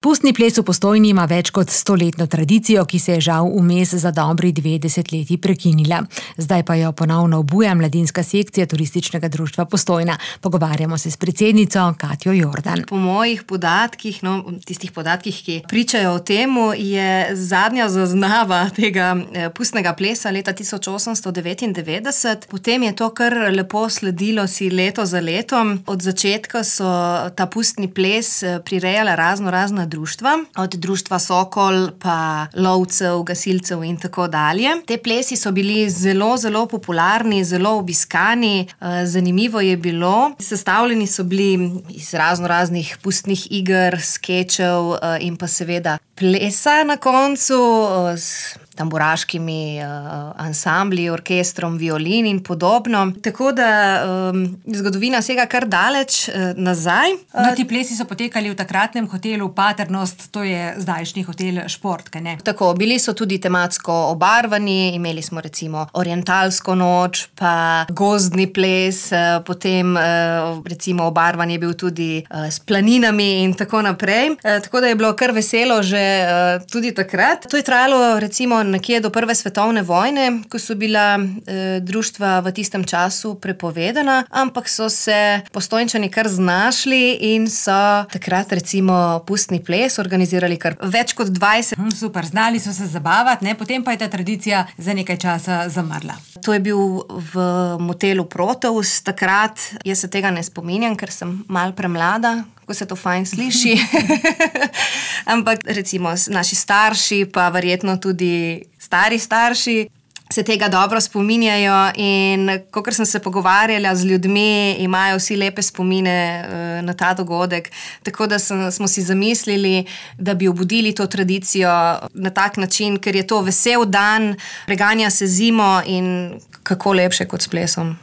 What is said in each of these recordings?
Pustni ples v Postojni ima več kot 100-letno tradicijo, ki se je žal vmes za dobri 2 desetletji prekinila. Zdaj pa jo ponovno obuja mladinska sekcija Turističnega društva Postojna. Pogovarjamo se s predsednico Katjo Jordan. Po mojih podatkih, tistih podatkih, ki pričajo o temu, je zadnja zaznava tega pustnega plesa leta 1899. Potem je to kar lepo sledilo si leto za letom. Od začetka so ta pustni ples prirejala razna društva, od društva Sokol pa lovcev, gasilcev in tako dalje. Te plesi so bili zelo popularni, zelo obiskani. Zanimivo je bilo, sestavljeni so bili iz raznih pustnih iger, skečev in pa seveda plesa na koncu s tamburaškimi ansambli, orkestrom, violin in podobno. Tako da zgodovina sega kar daleč nazaj. Ti plesi so potekali v takratnem hotelu Paternost, to je zdajšnji hotel Šport, kaj ne? Tako, bili so tudi tematsko obarvani, imeli smo recimo orientalsko noč, pa gozdni ples, potem recimo obarvan je bil tudi s planinami in tako naprej. Tako da je bilo kar veselo že tudi takrat. To je trajalo recimo nekje do Prve svetovne vojne, ko so bila društva v tistem času prepovedana, ampak so se Postojnčani kar znašli in so takrat recimo pustni ples organizirali kar več kot 20. Super, znali so se zabavati, ne? Potem pa je ta tradicija za nekaj časa zamrla. To je bil v motelu Proteus takrat. Jaz se tega ne spominjam, ker sem malo premlada, ko se to fajn sliši. Ampak recimo naši starši, pa verjetno tudi stari starši, se tega dobro spominjajo in kakor sem se pogovarjala z ljudmi, imajo vsi lepe spomine na ta dogodek. Tako da smo si zamislili, da bi obudili to tradicijo na tak način, ker je to vesel dan, preganja se zimo in kako lepše kot s plesom.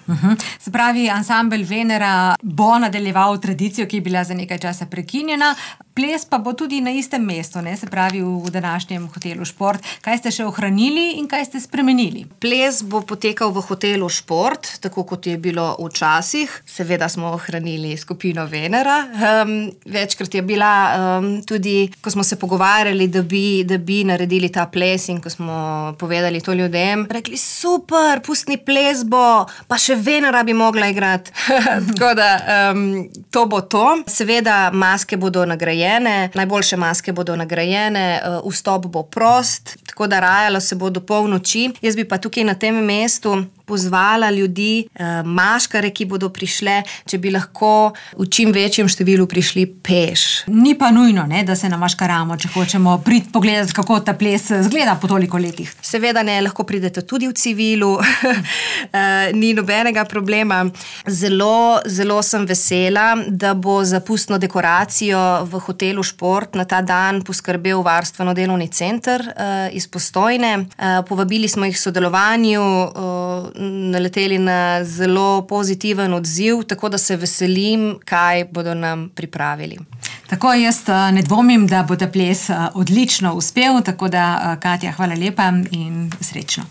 Se pravi, ansambel Venera bo nadaljeval tradicijo, ki je bila za nekaj časa prekinjena. Ples pa bo tudi na istem mestu, ne? Se pravi v današnjem hotelu Šport. Kaj ste še ohranili in kaj ste spremenili? Ples bo potekal v hotelu Šport, tako kot je bilo včasih. Seveda smo ohranili skupino Venera. Večkrat je bila tudi, ko smo se pogovarjali, da bi naredili ta ples in ko smo povedali to ljudem, rekli super, pustni ples bo, pa še Venera bi mogla igrati. Tako da to bo to. Seveda maske bodo nagrajene, najboljše maske bodo nagrajene, vstop bo prost, tako da rajalo se bo do polnoči. Jaz bi pa tukaj na tem mestu pozvala ljudi, maškare, ki bodo prišle, če bi lahko v čim večjem številu prišli peš. Ni pa nujno, ne, da se namaškaramo, če hočemo priti pogledati, kako ta ples zgleda po toliko letih. Seveda ne, lahko pridete tudi v civilu, ni nobenega problema. Zelo sem vesela, da bo za pustno dekoracijo v hotelu Šport na ta dan poskrbel Varstveno-delovni center iz Postojne. Povabili smo jih k sodelovanju, naleteli na zelo pozitiven odziv, tako da se veselim, kaj bodo nam pripravili. Tako, jaz ne dvomim, da bo ta ples odlično uspel, tako da Katja, hvala lepa in srečno.